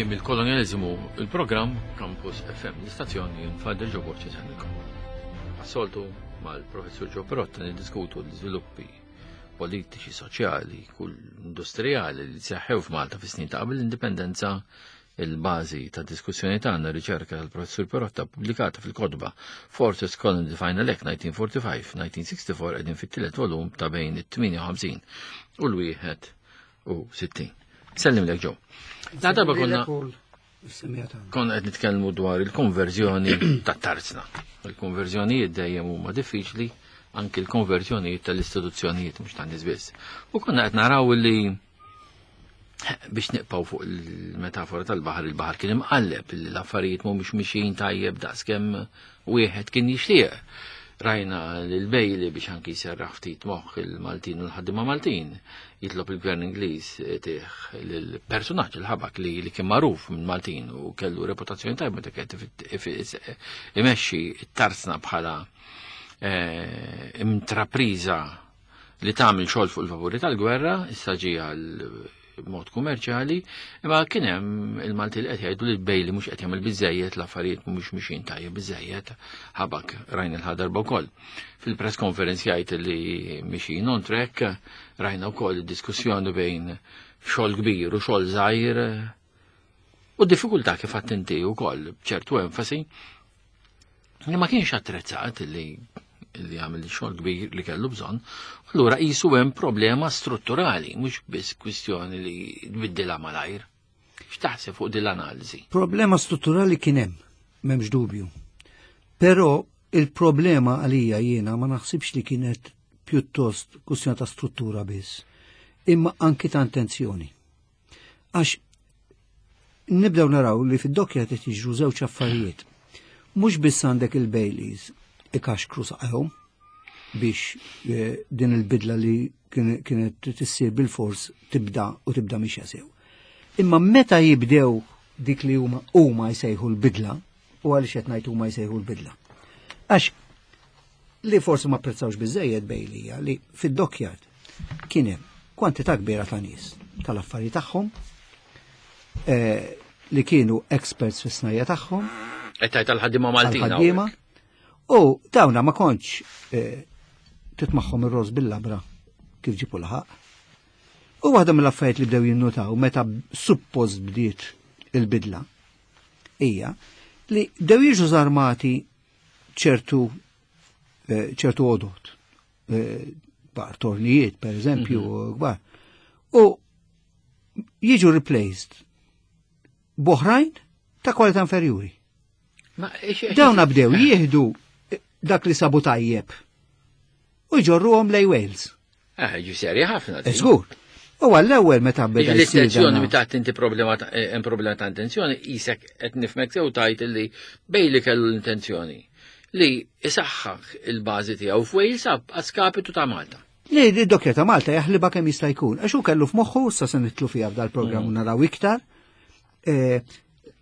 Mill-Kolonjaliżmu il-programm Campus FM l-istazzjon jien Father Joe Borċi semmilkom. Assoltu mal-Professur Joe Perotta niddiskutu l-iżviluppi politiċi, soċjali, kull industrijali li seħħew f'Malta fis-snin ta' qabel l-indipendenza il-bażi ta' diskussjoni tagħna riċerka tal-Professur Perotta pubblikata fil-kotba Forces Colony Final Act 1945-1964 qegħdin fit-tielet volum ta' bejn it-58 u l-61. Sellim lek ġew. La darba konna konna qed nitkellmu dwar il-konverżjoni tat-tarzna. Il-konverżjonijiet dejjem huma diffiċli anki l-konverżjonijiet tal-istituzzjonijiet mhux tan-nies biss. U konna qed naraw li biex niqpaw fuq il-metafora tal-baħar, il-baħar kien imqalleb, l-affarijiet mhumiex mixjin tajjeb daqskemm wieħed kien jixtieq. Rajna l-Bejli biex anki jserraħ ftit moħħ il-Maltin u l-ħaddiema Maltin, jitlob il-Gvern Ingliż tih l-personaġġ il-ħabak li, li kien magħruf minn Maltin u kellu reputazzjoni tajba meta kien imexxi t-tarsna bħala eh, intrapriża li tagħmel xogħol fuq il-vapuri tal-gwerra, issa ġie għal mod kummerċjali, imma kien hemm il-Malti li qed jgħidu li Bejli mhux qed jagħmel biżejjed l-affarijiet mhumiex mixin tajjeb biżejjed ħabak rajna l-ħadarba wkoll. Fil-press conference jgħid li mixin on track, rajna wkoll diskussjoni bejn xogħol kbir u xogħol żgħir u diffikultà kif għadt inti wkoll b'ċertu enfasi li ma kienx attrezzat li li għamil xogħol kbir li kellu bżonn, allura qisu hemm problema strutturali, mhux biss kwistjoni li tbiddilha malajr. X'taħseb fuq din l-analiżi? Problema strutturali kien hemm, m'hemmx dubju. Però il-problema għalija jiena ma naħsibx li kienet pjuttost kwistjoni ta' struttura biss, imma anki ta' intenzjoni. Għax nibdew naraw li fid-dokkja qed jiġru żewġ affarijiet. Mhux biss għandek il-Baileys ikaxkru saqajhom biex eh, din il-bidla li kienet tissir bil-fors tibda u tibda mixja sew. Imma meta jibdew dik li huma huma jsejħu l-bidla, u għaliex qed ngħid huma jsejħu l-bidla. Għax li forsi ma apprezzawx biżejjed bejlija li fid-dockyard kien hemm kwantità kbira ta' nies tal-affari tagħhom eh, li kienu experts fis-snajja tagħhom. Qed tgħid tal-ħaddiema Maltin. Ħaddiema. U dawna ma kontx eh, titmaħħom ir-roż bil-labra kif ġipu laħaq. U waħda mill-affarijiet li bdew jinnutaw meta suppost bdiet il-bidla hija li bdew jiġu żarmati ċertu eh, ċertu għodot, eh, kbar, tornijiet per eżempju, mhm. kbar. U jiġu replaced boħrajn ta' kwalità inferjuri. Dawn bdew jieħdu dak li sabu tajjeb u jġorruhom lej Wales. Eh, ġi serja ħafna. Eh, żgur. U għall-ewwel meta beda L-intenzjoni meta inti problema eh, hemm problema ta' intenzjoni isek qed nifmek sew tajt li bej li kellu l-intenzjoni li isaħħaħ il-bażi tiegħu f'Wales għaskapitu ta' Malta. Li d-dokkja ta' Malta jaħliba kemm jista' jkun. Għax hu kellu f'moħħu sa se nitlu fiha f'dal-programm u mm. naraw iktar. Eh,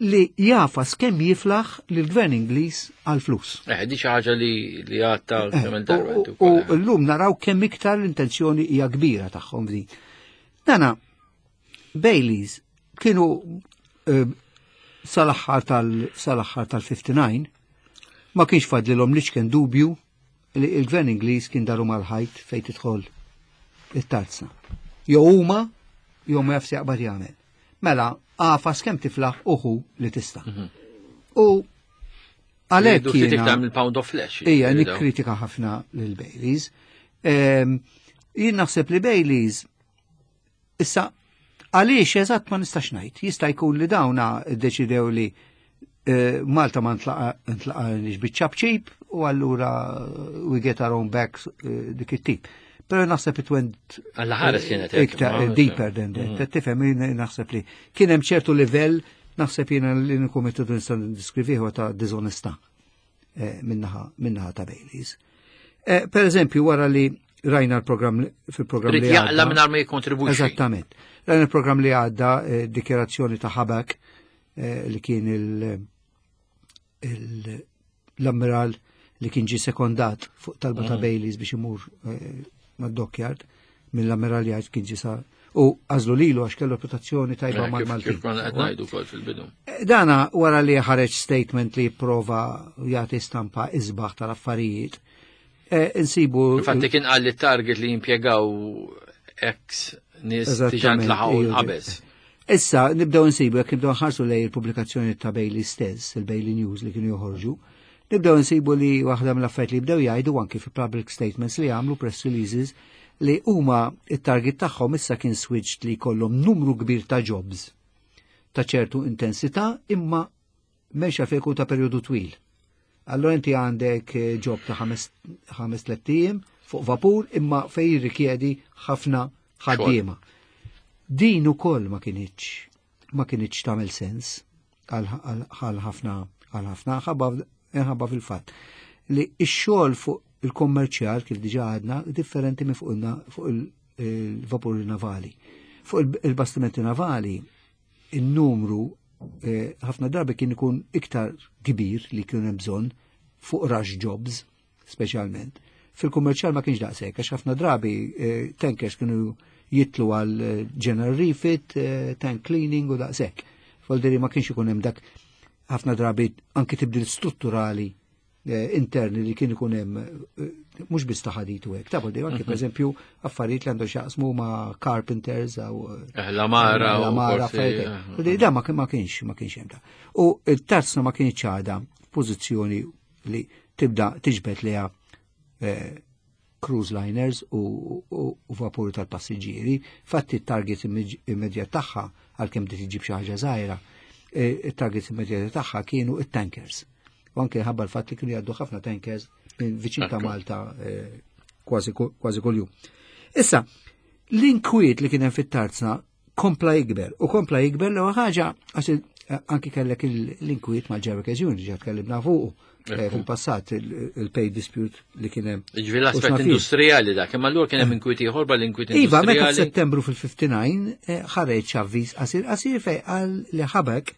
li jafas kemm jiflaħ lil gvern Ingliż għal flus. Eh, di xi ħaġa li li għatta eh, kemm darba. U llum naraw kemm iktar l-intenzjoni hija kbira tagħhom f'din. Dana Baileys kienu eh, sal-aħħar tal-sal-aħħar tal-59 ma kienx fadlilhom li kien dubju li il-gvern Ingliż kien daru mal-ħajt fejn tidħol it-tazza. Jew huma jew ma jafs jaqbad jagħmel. Mela, għafas kemm tiflaħ uħu li tista'. Mhm. U għalhekk jiena il-pound of flesh. Ija, nikkritika ħafna lil Baileys. Ehm, jien naħseb li Baileys issa għaliex eżatt ma nistax ngħid. Jista' jkun li dawna ddeċidew li eh, Malta ma ntlaqa biċ-ċapċip u allura we get our own back eh, dik it-tip. Pero naħseb it went Alla ħares kienet iktar eh, deeper than that. Mm. Tifhem naħseb li kien hemm ċertu livell naħseb jiena li nkun metodu nista' niddeskrivihu ta' diżonestà eh, minnaħa ta' Baileys. Eh, per eżempju, wara li rajna l-programm fil-programm li għadda. Jaqla minn ma jikontribwixxi. Eżattament. Rajna l-programm li għadda dikjerazzjoni ta' Ħabak li kien il- l-ammiral li kien ġi sekondat fuq talba ta' mm. Baileys biex imur eh, mad-dockyard mill-ammiral jgħid kien ġi sa. U għażlu lilu għax kellu reputazzjoni tajba Eh, mal-Maltin. Kif konna qed ngħidu wkoll fil-bidu. Dana wara li ħareġ statement li prova jagħti stampa isbaħ tal-affarijiet. Eh, insibu. Infatti kien qal li target li jimpjegaw ex nies diġà Eżattament, ntlaħqu iju, qabeż. Issa nibdew insibu jekk nibdew nħarsu lej il-pubblikazzjoni ta' Bailey stess, il-Bailey News li kienu joħorġu, nibdew insibu li waħda mill-affarijiet li bdew jgħidu anki fi public statements li għamlu press releases li huma it-target tagħhom issa kien switched li jkollhom numru kbir ta' jobs ta' ċertu intensità imma mexa fejku ta' perjodu twil. Allora inti għandek eh, job ta' 5 ijiem fuq vapur imma fej jirrikjedi ħafna ħaddiema. Din ukoll ma kinitx ma kinitx tagħmel sens għal għal ħafna għal ħafna ħabba ħabba fil-fatt li x-xogħol fuq il-kommerċjal kif diġà għadna differenti minn fuq il- fuq il-vapuri navali. Fuq il- il-bastimenti navali il-numru eh, ħafna drabi kien ikun iktar kbir li kien hemm bżonn fuq rush jobs speċjalment. Fil-kummerċjal ma kienx daqshekk għax ħafna drabi eh, tankers kienu jitlu għal eh, general refit, eh, tank cleaning u daqshekk. Voldiri ma kienx ikun hemm dak ħafna drabi anki tibdil strutturali eh, interni li kien ikun hemm eh, mhux biss ta' ħadit u hekk. Ta' voldiri anki pereżempju affarijiet li għandu x'jaqsmu ma' carpenters jew Eh, L-amara la u mara forsi, affarijiet hekk. Voldiri, Da ma kien- ma kienx ma kienx hemm da. U t-tarzna ma kienx għadha f'pożizzjoni li tibda tiġbed liha eh, cruise liners u, u, u vapuri tal-passiġġieri. Fatti t-target immedjat tagħha għalkemm bdiet iġib xi ħaġa żgħira, eh, it-target immedjat tagħha kienu it-tankers. U anke ħabba l-fatt li kienu jgħaddu ħafna tankers minn viċin ta' Ekku. Malta eh, kważi kważi kuljum. Issa, l-inkwiet li kien hemm fit-tarzna kompla jikber u kompla jikber l ħaġa għax eh, anki kellek il- l-inkwiet mal-Jerry Union ġa tkellimna fuqu eh, fil-passat il- il-pay dispute li kien hemm. Ġifieri l-aspett U x'naf jien. industrijali dak, imma allura kien hemm inkwiet ieħor bħal inkwiet Iva, meta industrijali. f'Settembru fil-59 eh, ħareġ avviż qasir qasir fej qal li ħabek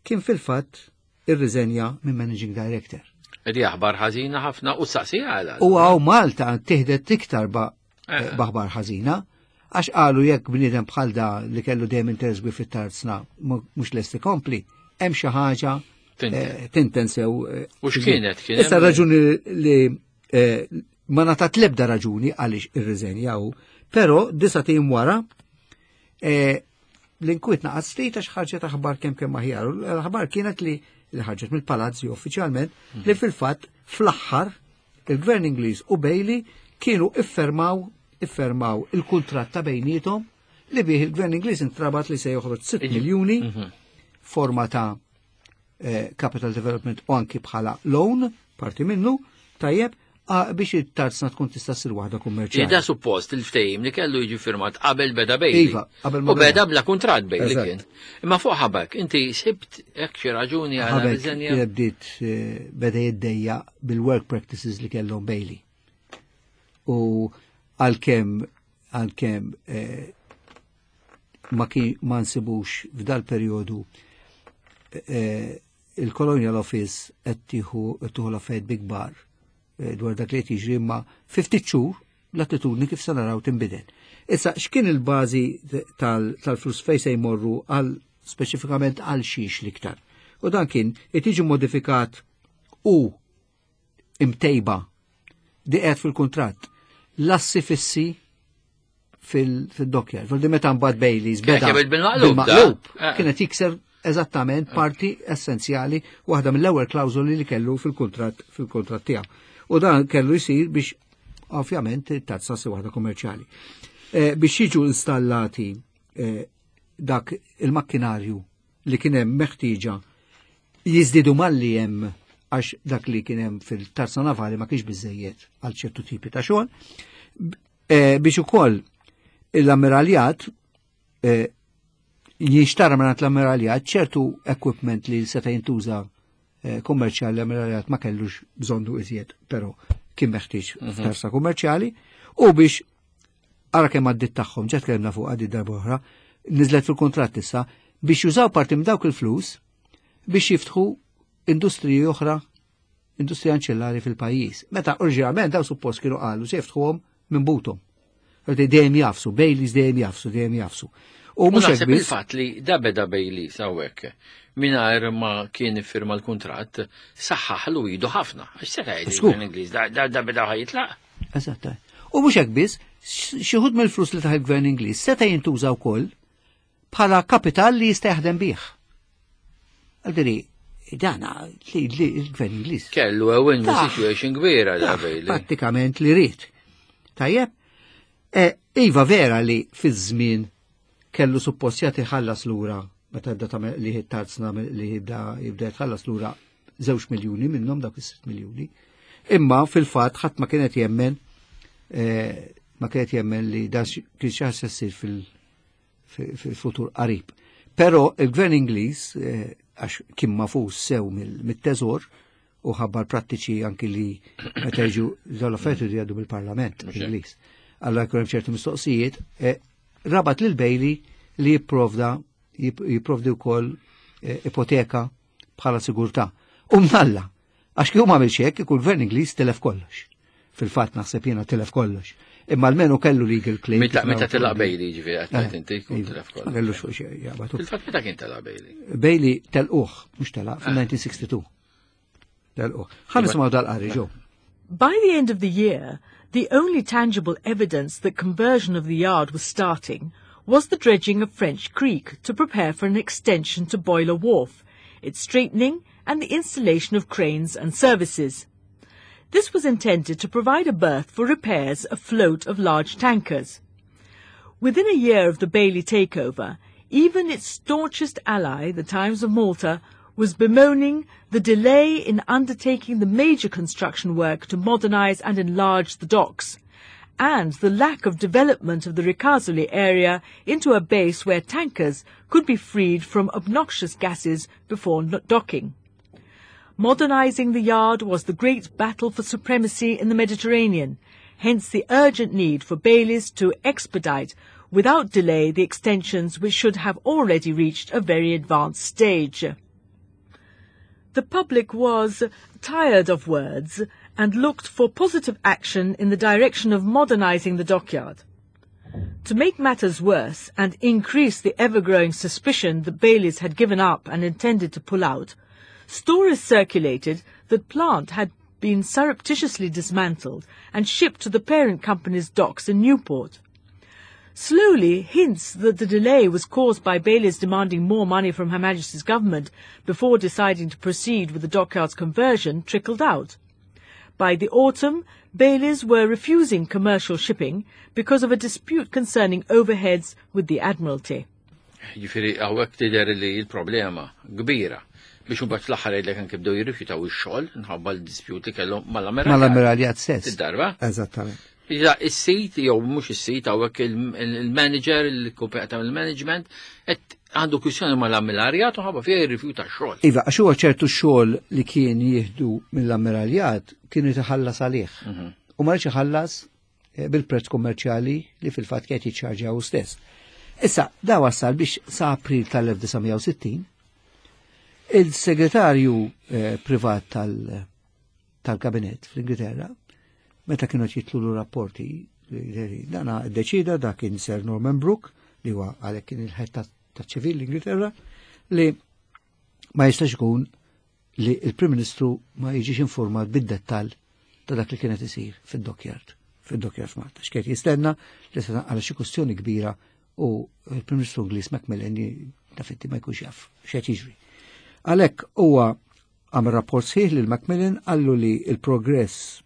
kien fil-fatt irriżenja minn Managing Director. Edi aħbar ħażina ħafna u saqsija għala. U għaw Malta tiħdet iktar ba- Eh. baħbar ħażina, għax qalu jekk bniedem bħal da li kellu dejjem interess kbir fit-tarzna mhux lest ikompli, hemm xi ħaġa Tinten. eh, tinten sew. eh, U x'kienet? Kien Issa hemm- raġuni li eh, ma natat lebda raġuni għaliex irriżenja hu, però disa' tim wara eh, l-inkwiet naqas ftit għax ħarġet aħbar kemm kemm aħjar. U L-aħbar kienet li li ħarġet mill-palazzi uffiċjalment li fil-fatt fl-aħħar il-Gvern Ingliż u Bailey kienu iffermaw iffermaw il-kuntratt ta' bejnietom li bih il-Gvern Ingliż intrabat li se joħroġ 6 miljuni forma ta' eh, capital development u anki bħala loan, parti minnu, tajjeb, biex it-tarzna tkun tista' ssir waħda kummerċjali. Da suppost il-ftehim li kellu jiġi firmat qabel beda Bailey. Iva, qabel ma U beda beda. bla kuntratt Bailey Eżatt. kien. Imma fuq ħabak, inti sibt hekk xi raġuni għal Ħabek riżenja. kienet bdiet eh, beda jiddejja bil-work practices li kellhom Bailey. U għalkemm għalkemm eh, ma kien ma nsibux f'dal perjodu eh, il-Colonial Office qed tieħu qed tieħu l-affarijiet bi kbar eh, dwar dak li qed jiġri imma fi ftit xhur l-attitudni kif se naraw tinbidel. Issa x'kien il-bażi tal- tal-flus fejn se jmorru għal speċifikament għal xiex l-iktar. U dan kien qed jiġi modifikat u imtejba di qed fil-kuntratt l-assi fissi fil-dockyard. Fil meta mbagħad Baileys Kien beda jagħmel bil-maqlub, da. bil-maqlub, Eh. kienet jikser eżattament parti essenzjali waħda mill-ewwel klawżoli li kellu fil-kuntratt fil-kuntratt tiegħu. U dan kellu jsir biex ovvjament tazza si waħda kummerċjali. Eh, biex jiġu installati eh, dak il-makkinarju li kien hemm meħtieġa jizdidu malli hemm għax dak li kien hemm fil-tarza navali ma kienx biżejjed għal ċertu tipi ta' xogħol. B- eh, Biex ukoll l-ammiraljat eh, jinxtara minn l-ammiraljat ċertu equipment li seta' jintuża eh, kummerċjali l-ammiraljat ma kellux bżonnu iżjed, però kien meħtieġ f'tarsa kummerċjali u biex ara kemm għaddit tagħhom, ġa tkellimna fuq għaddit darba oħra, niżlet fil-kuntratt issa biex jużaw parti minn dawk il-flus biex jiftħu industriji oħra, industrija anċillari fil-pajjiż. Meta oriġinalment daw suppost kienu qalu se jiftħuhom minn butom. Dejjem jafsu, Baileys dejjem jafsu, dejjem jafsu. U mhux hekk il-fatt li da beda Baileys hawnhekk mingħajr ma kien iffirma l-kuntratt saħħaħlu idu ħafna. Għax seta' jgħid l-Ingliż da beda ħajitlaq. Eżatt. U mhux hekk biss, xi ħud mill-flus li taħ il-Gvern Ingliż seta' jintuża wkoll bħala kapital li jista' jaħdem bih. Għaldiri, dana li l-gvern Ingliż. Kellu a win situation kbira da Bailey. Prattikament li rrit. Tajjeb, e, iva vera li fiż-żmien kellu suppost jagħti ħallas lura meta jibda tagħmel li tarzna li jibda jibda jitħallas lura żewġ miljuni minnhom dawk is-sitt miljuni. Imma fil-fatt ħadd ma kienet jemmen e, ma kienet jemmen li dan kien xi ħaġa ssir fil- fil-futur qarib. Però il-gvern Ingliż, eh, għax kien mafus sew mit-teżor u ħabbar prattiċi anki li meta jiġu dawn l-affarijiet li jgħaddu mill-Parlament Ingliż. Allora jkun hemm ċertu mistoqsijiet, eh, rabat lil Bailey li jipprovda jipprovdi wkoll eh, ipoteka bħala sigurtà. U mnalla, Għax kieku m'għamilx hekk, kieku l-Gvern Ingliż tilef kollox. Fil-fatt naħseb jiena tilef kollox. Imma almenu kellu legal claim. Meta telaq Bailey ġifieri qed tgħid inti jkun iva, tilef kollox. Ma kellux fuq xejn jaqbad. Fil-fatt meta kien telaq Bailey? Bailey telquh, mhux telaq fil-1962. Telquh. Ħa nisimgħu dal-qari ġew. By the end of the year, the only tangible evidence that conversion of the yard was starting was the dredging of French Creek to prepare for an extension to Boiler Wharf, its straightening and the installation of cranes and services. This was intended to provide a berth for repairs afloat of large tankers. Within a year of the Bailey takeover, even its staunchest ally, the Times of Malta, was bemoaning the delay in undertaking the major construction work to modernise and enlarge the docks, and the lack of development of the Ricasoli area into a base where tankers could be freed from obnoxious gases before docking. Modernising the yard was the great battle for supremacy in the Mediterranean, hence the urgent need for Bayliss to expedite without delay the extensions which should have already reached a very advanced stage. The public was tired of words and looked for positive action in the direction of modernising the dockyard. To make matters worse and increase the ever-growing suspicion that Bayliss had given up and intended to pull out, stories circulated that plant had been surreptitiously dismantled and shipped to the parent company's docks in Newport. Slowly, hints that the delay was caused by Bayliss demanding more money from Her Majesty's government before deciding to proceed with the dockyard's conversion trickled out. By the autumn, Bayliss were refusing commercial shipping because of a dispute concerning overheads with the Admiralty. Ġifieri hawnhekk tidher li l-problema kbira biex imbagħad fl-aħħar jgħidlek anke bdew jirrifjutaw ix-xogħol minħabba l-dispute li kellhom mal-Ammiralja. Mal-Ammiraljat stess. Id-darba. Eżattament. Iżda is-sit jew mhux is-sit hawnhekk il-manager, il-kumpanija ta' il-management qed għandu kwistjoni mal-Ammiraljat u ħabba fiha jirrifjuta x-xogħol. Iva, għax huwa ċertu xogħol li kien jieħdu mill-ammiraljat kienu jitħallas għalih. U ma rridx iħallas eh, bil-prezz kummerċjali li fil-fatt kienet jiċċarġja hu stess. Issa, da wassal biex sa April tal-1960 il-segretarju eh, privat tal- tal-kabinet fl-Ingilterra, meta kienu jitlulu rapporti, dana deċida da kien Sir Norman Brooke, li huwa għalhekk kien il-ħed ta' ċivil l-Ingilterra, li ma jistax ikun li il-Prim Ministru ma jiġix informat bid-dettall ta' dak li kienet isir fid-dockyard, fid-dockyard f'Malta. X'kiet jistenna li se għal xi kwestjoni kbira u il-Prim Ministru Ingliż Macmillan tafitti ma jkunx jaf x'qed jiġri. Għalhekk huwa għamel rapport sħiħ lil Macmillan qallu li il-progress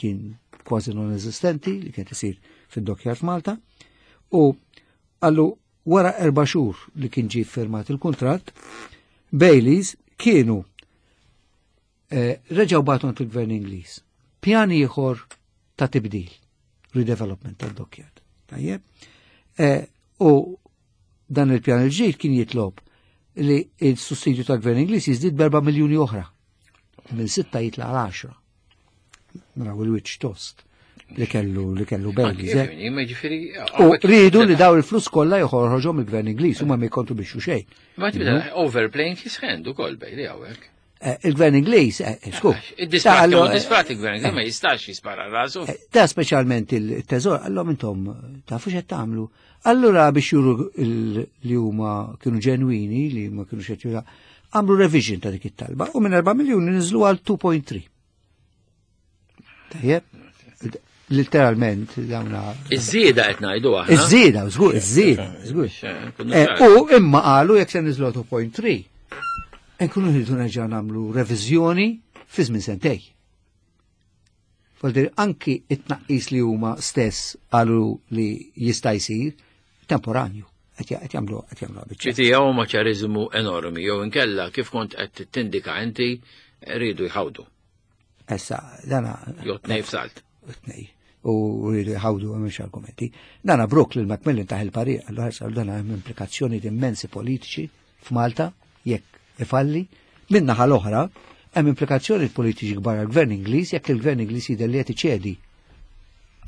kien kważi non-eżistenti li kien isir fid-dockyard f'Malta u qallu wara erba' xhur li kien ġie firmat il-kuntratt, Baileys kienu eh, reġgħu bagħtu il-Gvern Ingliż. Pjan ieħor ta' tibdil, redevelopment tad-dockyard. Tajjeb? Eh, u dan il-pjan il-ġdid kien jitlob li il-sussidju tal-Gvern Ingliż jiżdied b'erba' miljuni oħra. Minn sitta jitla għal 10. Naraw il-wiċċ tost li kellu li kellu Baileys. eh. Ma ġifieri U rridu li daw il-flus kollha joħorġhom il-Gvern Ingliż huma ma jkontribwixxu xejn. Ma tibda overplaying his hand ukoll Bailey hawnhekk. Il-gvern Ingliż, sku. Id-disprat, disprat il-gvern Ingliż ma jistax jispara rasu. Da speċjalment il-teżor, għallhom intom tafu x'qed tagħmlu. Allura biex juru li huma kienu ġenwini, li ma kienu xed jura, għamlu revision ta' dik it-talba u minn 4 miljuni niżlu għal 2.3. Tajjeb, literalment dawna. Iż-żieda qed ngħidu aħna. Iż-żieda, żgur, iż-żieda, żgur. U imma qalu jekk se niżlu 2.3. Nkunu rridu nerġa' nagħmlu reviżjoni fi żmien sentej. Voldir anki it-tnaqqis li huma stess qalu li jista' jsir temporanju qed jagħmlu qed jagħmlu biċċa. Ġifieri huma ċariżmu enormi jew inkella kif kont qed tindika inti rridu jħawdu. Issa, dana. Jew tnej f'salt. Tnej. U rridu jħawdu hemmx argumenti. Dana Brooke lil Macmillan taħ il-parir, għallu ħarsa dana hemm implikazzjoni immensi politiċi f'Malta jekk ifalli. Min-naħa l-oħra, hemm implikazzjoni politiċi kbar għall-Gvern Ingliż jekk il-Gvern Ingliż jidher li qed iċedi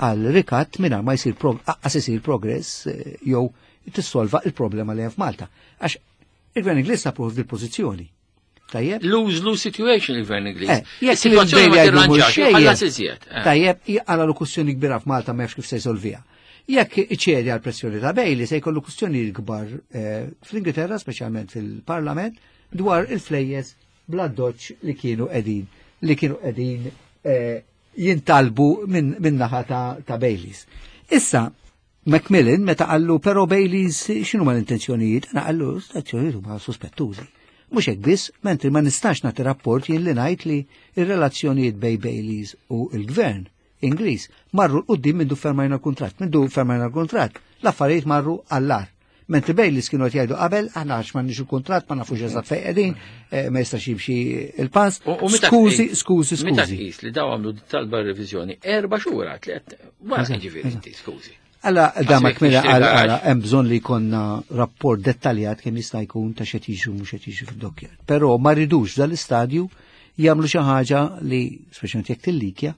għal rikatt mingħajr ma jsir aqqas isir progress jew tissolva il-problema li hemm f'Malta. Għax il-Gvern Ingliż sab ruħu f'dil-pożizzjoni. Tajjeb? Lose-lose situation il-Gvern Ingliż. Jekk Is-sitwazzjoni ma il-Bejli jgħidu mhux tirranġax, xejn. ħallas iżjed. Tajjeb, għala l kwistjoni kbira f'Malta ma jafx kif se jsolvija. Jekk iċedi għal pressjoni ta' Bailey se jkollu kwistjoni kbar fl-Ingilterra, speċjalment fil-Parlament, dwar il-flejjes bla doċ li kienu qegħdin li kienu qegħdin jintalbu minn naħa ta' Baileys. Issa, Macmillan meta qallu però Baileys x'inhu ma l-intenzjonijiet, għana qallu l-intenzjonijiet huma sospettużi. Mhux hekk biss, mentri ma nistax nagħti rapport jien li ngħid li r-relazzjonijiet bej Baileys u l-gvern Ingliż marru 'l quddiem mindu fermajna l-kuntratt, mindu fermajna l-kuntratt, l-affarijiet marru għall-agħar. Mentri Baileys kienu qed jgħidu qabel, aħna għax m'għandniex il-kuntratt, ma nafux eżatt fejn qegħdin, ma jistax jimxi il-pass. U meta Skużi, tqis- skużi, meta skużi. tqis li daw għamlu talba revizjoni 4 xhur, 3, wara ġifieri inti, skużi. Alla, da Għax ma jekk kmina tixtieq għal, għax. għala, hemm bżonn li jkollna rapport dettaljat kemm jista' jkun ta' x'qed jiġri u mhux qed jiġri fid-dokkjar. Però ma ridux dal-istadju jagħmlu xi ħaġa li, speċjalment jekk tillikja,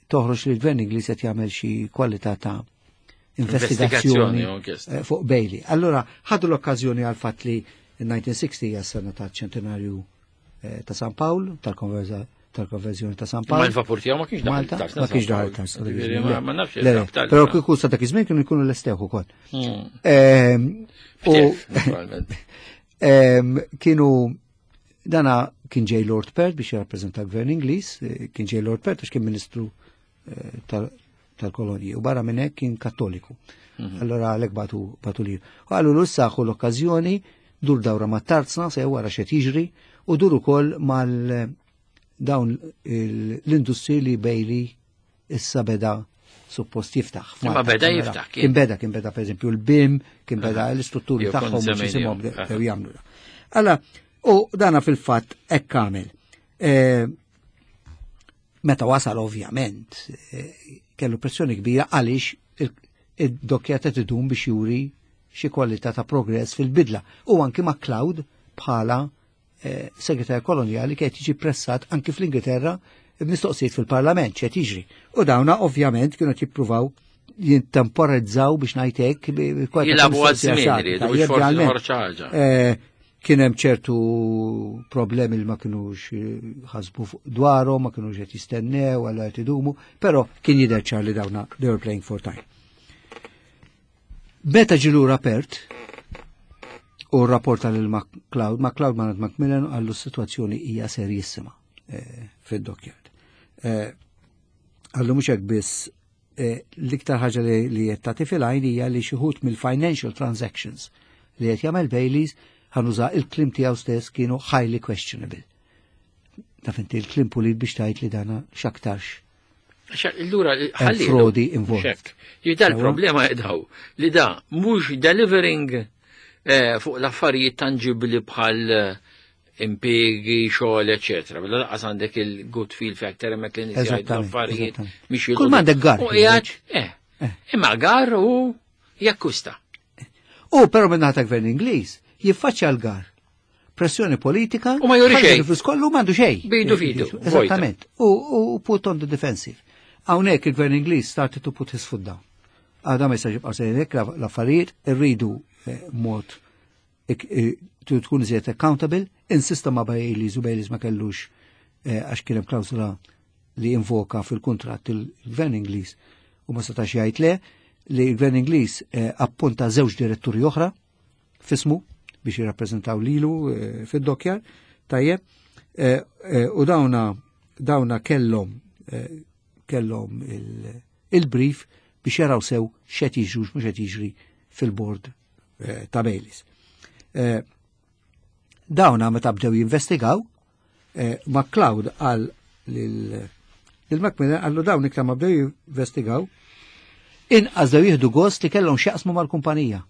toħroġ li l-Gvern Ingliż qed jagħmel xi kwalità ta' investigazzjoni, Investigazzjoni, u inkjesta. fuq Bailey. Allora, ħadu l-okkażjoni għal fatt li in-1960 hija s-sena ta' ċentenarju ta' San Pawl, tal-konverżjoni ta' San Pawl. Ma l-vapur tiegħu ma kienx daħal Malta, tarzna ma San kienx daħal Pawl. tarzna, dak Ġifieri, iż-żmien. ma nafx Le, le, il-rabta però l-fra. kieku sa dak iż-żmien kienu jkunu l-estew ukoll. Ftef, naturalment. Kienu dana kien ġej Lord Perth biex jirrappreżenta l-Gvern Ingliż, kien ġej Lord Perth għax kien ministru tal-kolonji u barra minn hekk kien kattoliku. Allora għalhekk batu li. U għallu l saħu l-okkażjoni dur dawra ma' tarzna se wara x'qed jiġri u dur ukoll mal dawn l-industri li Bailey issa beda suppost jiftaħ. Imma F'Malta, beda allora, jiftaħ, kien. Kien beda, kien beda per eżempju l-BIM, kien beda l-istrutturi Jew kont tagħhom biex semmejnihom. jisimhom bdew jagħmlu da. Alla, u dana fil-fatt hekk għamel. Meta wasal ovvjament, kellu pressjoni kbira għaliex id-dokkja ta' tidum biex juri xi kwalità ta' progress fil-bidla. U anki MacLeod bħala segretarju kolonjali kien jiġi pressat anki fl-Ingilterra b'mistoqsijiet fil-Parlament x'qed jiġri. U dawna ovvjament kienu qed jippruvaw jintemporizzaw biex ngħid hekk bi kwalità ta' Jilagħbu għal mistoqsija żmien xagħti. iridu, Tajjeb, biex forsi realment. toħroġ ħaġa. Kien hemm ċertu problemi li ma kinux ħasbu fuq dwarhom, ma kinux qed jistennew għal qed idumu, però kien jidher ċar li dawna they were playing for time. Meta ġie lura Perth u rrapporta lil MacLeod, MacLeod ma Macmillan għallu s-sitwazzjoni hija serjissima fid-dockyard. Għallu mhux hekk biss l-iktar ħaġa li qed tagħti fil-għajn hija li xi wħud mill-financial transactions li qed jagħmel Baileys ħanuża il-klim tiegħu stess kienu highly questionable. Taf inti il-klim pulit biex tgħid li dana x'aktarx. Għax, allura, Hemm ħalli frodi involved. Xek. Jidda Sewa? l-problema jidħaw li da mhux delivering fuq l-affarijiet tangibli bħal impiegi, xogħol, eċetera. Mela lanqas għandek il-good feel factor hemmhekk li nies jgħidu affarijiet mhix Kull jilqu. m'għandek gar, U qiegħed, imma gar u jakkusta. U però minn naħa ta' gvern Ingliż jiffaċċja l-gar. Pressjoni politika U ma juri ħalli xejn. il-flus kollu m'għandu xejn. Bidu fidu, vojta. Eżattament. U put on the defensive. Hawnhekk il-gvern Ingliż started to put his foot down. Għadha ma jistax jibqa' sejjer hekk l-affarijiet irridu mod tkun iżjed accountable, Insista ma' Baileys u Baileys ma kellux għax kien hemm klawsula li invoka fil-kuntratt il-Gvern Ingliż u ma setax jgħid le li l-Gvern Ingliż appunta żewġ diretturi oħra fismu biex jirrappreżentaw lilu fid-dockyard, tajjeb, u dawna kellhom il-brief biex jaraw sew x'qed jiġri u mhux qed jiġri fil-board ta' Baileys. Dawna meta bdew jinvestigaw, MacLeod qal lil Macmillan, qallu dawn iktar ma bdew jinvestigaw, inqas dew jieħdu gost li kellhom x'jaqsmu mal-kumpanija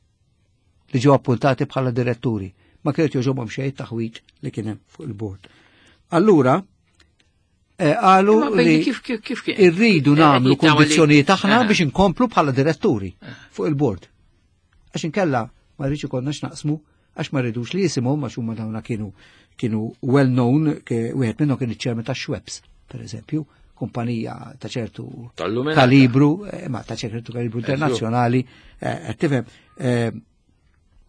li ġew appuntati bħala diretturi. Ma kienet jogħġobhom xejn taħwit li kien hemm fuq il-bord. Allura, qalu Imma Bailey li kif kien? irridu nagħmlu jittama li- kundizzjonijiet aħna biex inkomplu bħala diretturi fuq il-bord. Għax inkella ma rridx ikollna x'naqsmu, għax ma rridux li jisimhom, għax huma dawna kienu well known, wieħed minnhom kien iċ-chairman ta' Schweppes, per eżempju, kumpanija ta' ċertu Tal-luminata. kalibru, ma ta' ċertu kalibru internazzjonali, qed tifhem,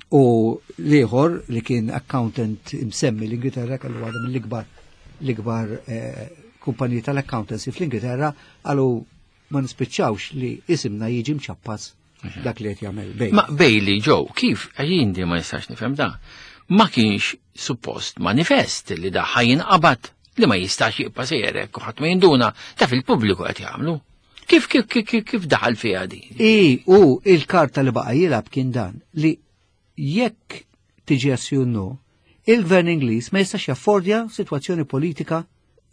u l-ieħor li kien accountant imsemmi l-Ingilterra, kellu għadha mill-ikbar l-ikbar kumpaniji tal-accountancy fl-Ingilterra, għalu ma nispiċċawx li isimna jiġi mċappas dak li qed jagħmel Bailey. Ma Bailey, Joe, kif jien di ma nistax nifhem da? Ma kienx suppost manifest li da ħajin qabad li ma jistax jibqa' sejjerek u ħadd ma jinduna ta' fil-pubbliku qed jagħmlu. Kif daħal fiha di? I, u il-karta li baqa' jilgħab kien dan li jekk tiġi assju no, il-gvern Ingliż ma jistax jaffordja sitwazzjoni politika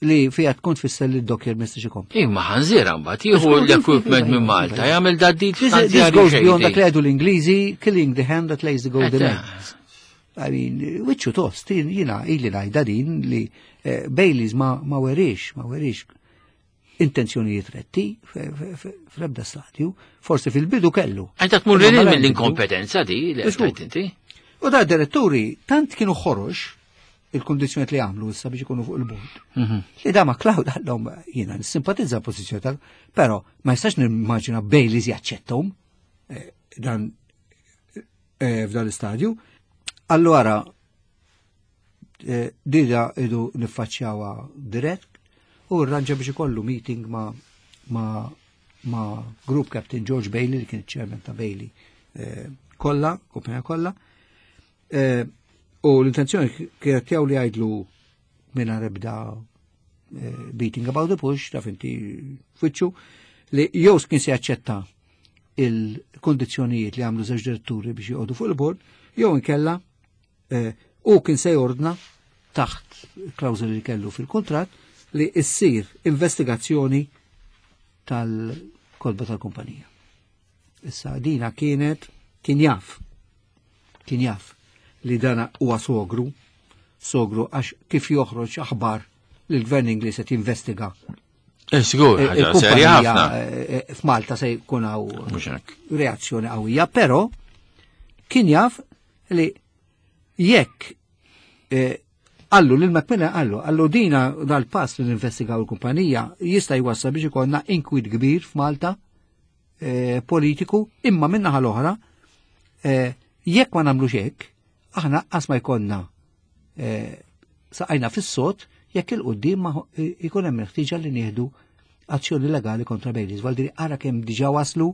li fija tkun tfisser li d-dockyard ma jistax ikompli. Imma ħanżira mbagħad jieħu Skont l-equipment minn iva, Malta, iva. jagħmel da dit This goes beyond dak li għedu l-Ingliżi, killing the hand that lays the golden eggs. I mean, wiċċu tost, jina ili ngħidha din li Baileys ma werix intenzjonijiet retti fl-ebda stadju, forsi fil-bidu kellu. Għajta tmur Imma lil mela mill-inkompetenza di li Żgur. għedt inti. U da diretturi tant kienu ħorox il-kondizjoni li għamlu issa biex ikunu fuq il-bord. Li da MacLeod għallhom jiena nissimpatizza l-pożizzjoni tal, però ma jistax nimmaġina Baileys jaċċettom dan f'dan l-istadju. Allora dida idu niffaċċjawha dirett u rranġa biex ikollu meeting ma Group Captain George Bailey li kien chairman ta' Bailey kollha, kumpanija kollha. U l-intenzjoni kienet tiegħu li jgħidlu mingħajr ebda beating about the bush, taf inti fitxu, li jew kien se jaċċetta il-kondizzjonijiet li għamlu żewġ diretturi biex joqogħdu fuq il-bord, jew inkella u kien se jordna taħt klawżoli li kellu fil-kuntratt li issir investigazzjoni tal-kolba tal-kumpanija. Issa dina kienet kien jaf, kien jaf li dana huwa sogru, sogru għax kif joħroġ aħbar li l-gvern Ingliż qed jinvestiga. Sigur, ħaġa Il-kumpanija, serja ħafna. f'Malta se jkun hawn Mhux hekk. reazzjoni qawwija, però kien jaf li jekk għallu lil Macmillan għallu dina dal-pass li ninvestigaw il-kumpanija jista' jwassal biex ikollna inkwit kbir f'Malta politiku, imma min-naħa l-oħra jekk ma nagħmlux hekk, aħna qas ma jkollna saqajna fis-sod jekk il-qudiem ma jkun hemm il-ħtieġa li nieħdu azzjoni legali kontra Baileys. Valdiri ara kemm diġà waslu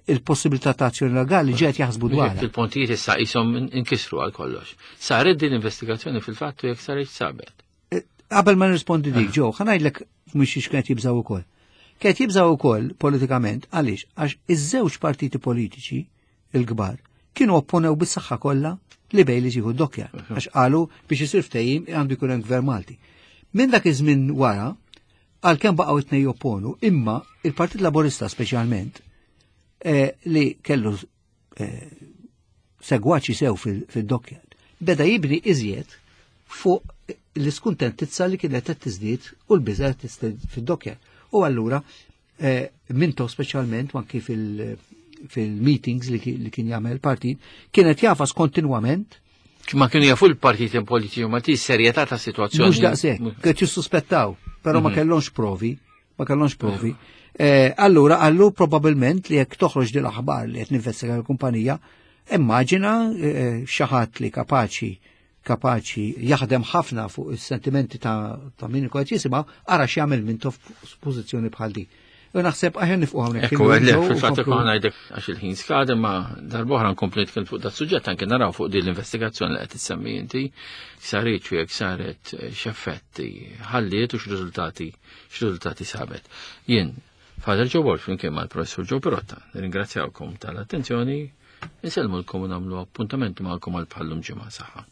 il-possibilità ta' azzjoni legali ġiet jaħsbu dwarha. Il-pontijiet issa qishom inkisru għal kollox. Saret din investigazzjoni fil-fatt u jekk saret sabet. Qabel ma nirrispondi dik, Joe, ħa ngħidlek mhux xiex kienet jibżgħu ukoll. Kienet jibżgħu ukoll politikament għaliex għax iż-żewġ partiti politiċi il-kbar kienu opponew bis-saħħa kollha li Baileys jieħu d-dockyard, għax qalu biex isir ftehim għandu jkun hemm gvern Malti. Minn dak iż-żmien wara, għalkemm baqgħu it-tnejn jopponu, imma il-Partit Laburista speċjalment li kellu segwaċi sew fil-dockyard, beda jibni iżjed fuq l-iskuntentizza li kienet qed tiżdied u l-biża qed tiżdied fid-dockyard. U allura Mintoff speċjalment anki fil-meetings li kien jagħmel partit, kienet jafas kontinwament. Ma kienu jafu l-partiti politiċi ma ti serjetà ta' situazzjoni. Mhux daqshekk, kienet jissuspettaw, però ma kellhomx provi, ma kellhomx provi. Allura għallu probabilment li jekk toħroġ din l-aħbar li qed ninvestiga l-kumpanija, immaġina xi ħadd li kapaċi kapaċi jaħdem ħafna fuq is-sentimenti ta', ta min ikun qed jisimgħu, ara x'jagħmel Mintoff f'pożizzjoni bħal di. U naħseb aħjar nifqu hawnhekk. Ekku, le, fil-fatt ikun ngħidek għax il-ħin skad imma darb'oħra nkompli nitkellem fuq dat suġġett anke naraw fuq din l-investigazzjoni li qed issemmi inti saret u jekk saret eh, x'effetti ħalliet u x'riżultati x'riżultati sabet. Jien Father Joe Borg flimkien mal-Professur Joe Pirotta, nirringrazzjawkom tal-attenzjoni, insellmulkom u nagħmlu appuntament magħkom għal bħallum ġimgħa saħħa.